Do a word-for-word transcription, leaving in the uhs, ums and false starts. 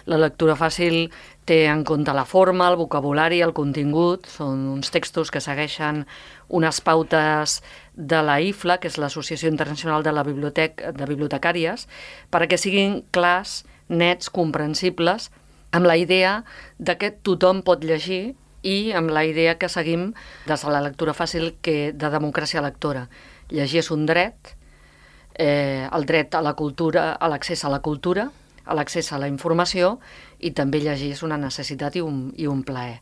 La lectura fàcil té en compte la forma, el vocabulari, el contingut. Són uns textos que segueixen unes pautes de la I F L A, que és l'Associació Internacional de la Biblioteca, de Bibliotecàries, perquè siguin clars, nets, comprensibles, amb la idea de que tothom pot llegir i amb la idea que seguim des de la lectura fàcil que de democràcia lectora. Llegir és un dret, eh, el dret a la cultura, a l'accés a la cultura, a l'accés a la informació, i també llegir és una necessitat i un, i un plaer.